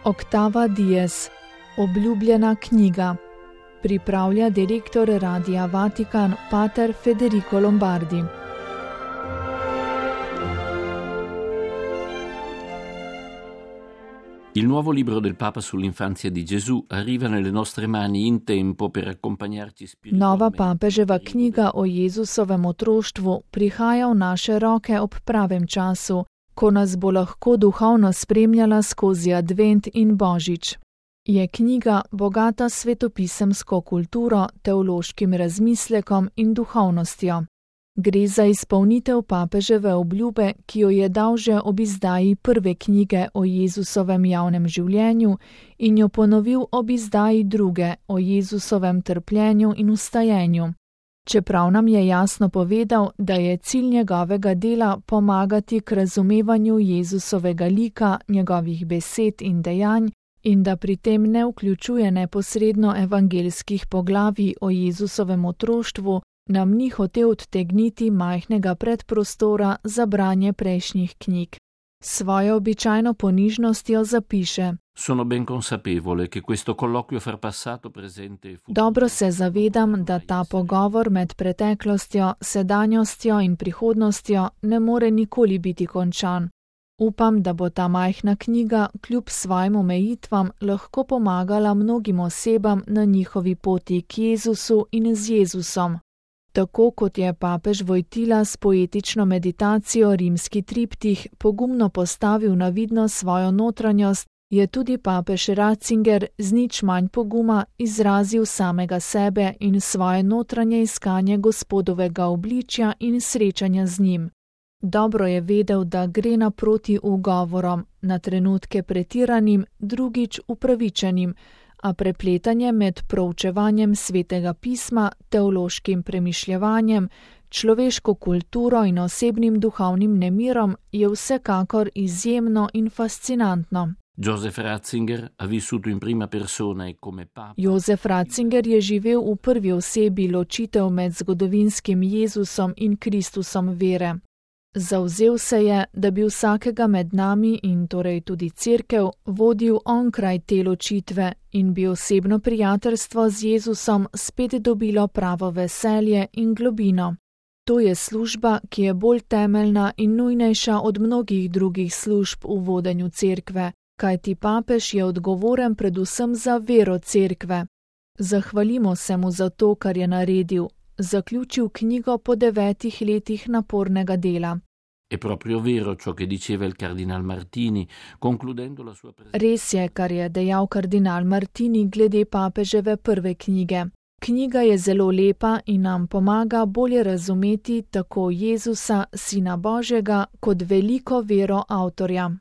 Octava Dies, obljubljena knjiga. Pripravlja direktor Radia Vatikan, pater Federico Lombardi. Il nuovo libro del Papa sull'infanzia di Gesù arriva nelle nostre mani in tempo per accompagnarci spiritualmente. Nova papeževa knjiga o Jezusovem otroštvu prihaja v naše roke ob pravem času, ko nas bo lahko duhovno spremljala skozi advent in božič. Je knjiga bogata svetopisemsko kulturo, teološkim razmislekom in duhovnostjo. Gre za izpolnitev papeževe obljube, ki jo je dal že ob izdaji prve knjige o Jezusovem javnem življenju in jo ponovil ob izdaji druge o Jezusovem trpljenju in vstajenju. Čeprav nam je jasno povedal, da je cilj njegovega dela pomagati k razumevanju Jezusovega lika, njegovih besed in dejanj, in da pri tem ne vključuje neposredno evangeljskih poglavij o Jezusovem otroštvu, nam ni hotel odtegniti majhnega predprostora za branje prejšnjih knjig. Svojo običajno ponižnostjo zapiše: Sono ben consapevole che questo colloquio fra passato, presente e futuro. Dobro se zavedam, da ta pogovor med preteklostjo, sedanjostjo in prihodnostjo ne more nikoli biti končan. Upam, da bo ta majhna knjiga kljub svojim omejitvam lahko pomagala mnogim osebam na njihovi poti k Jezusu in z Jezusom. Tako kot je papež Vojtila s poetično meditacijo rimski triptih pogumno postavil na vidno svojo notranjost, je tudi papež Ratzinger z nič manj poguma izrazil samega sebe in svoje notranje iskanje Gospodovega obličja in srečanja z njim. Dobro je vedel, da gre naproti ugovorom, na trenutke pretiranim, drugič upravičenim, a prepletanje med proučevanjem svetega pisma, teološkim premišljevanjem, človeško kulturo in osebnim duhovnim nemirom je vsekakor izjemno in fascinantno. Joseph Ratzinger ha vissuto in prima persona e come papa. Joseph Ratzinger je živel v prvi osebi ločitev med zgodovinskim Jezusom in Kristusom vere. Zavzel se je, da bi vsakega med nami in torej tudi cerkev vodil onkraj te ločitve in bi osebno prijateljstvo z Jezusom spet dobilo pravo veselje in globino. To je služba, ki je bolj temeljna in nujnejša od mnogih drugih služb v vodenju cerkve, kajti papež je odgovoren predvsem za vero cerkve. Zahvalimo se mu za to, kar je zaključil knjigo po 9 letih napornega dela. È proprio vero ciò che diceva il cardinal Martini, concludendo la sua presenza. Res je, kar je dejal kardinal Martini glede papeževe prve knjige. Knjiga je zelo lepa in nam pomaga bolje razumeti tako Jezusa, Sina Božjega, kot veliko vero avtorja.